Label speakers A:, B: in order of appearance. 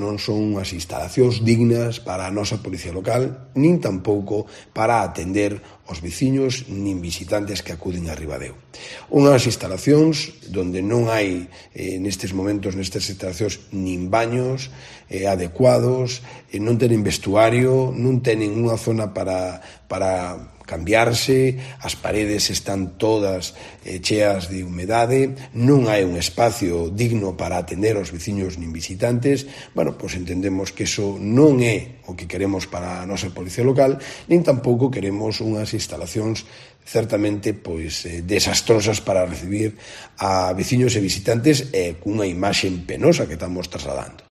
A: Non son unhas instalacións dignas para a nosa Policía Local, nin tampouco para atender os veciños nin visitantes que acuden a Ribadeo. Unhas instalacións donde non hai nestes momentos, nestas instalacións, nin baños adecuados, non tenen vestuario, non tenen unha zona para cambiarse, as paredes están todas cheas de humedade, non hai un espacio digno para atender aos veciños nin visitantes. Pois entendemos que iso non é o que queremos para a nosa Policía Local, nin tampouco queremos unhas instalacións certamente desastrosas para recibir a veciños e visitantes cunha imaxe penosa que estamos trasladando.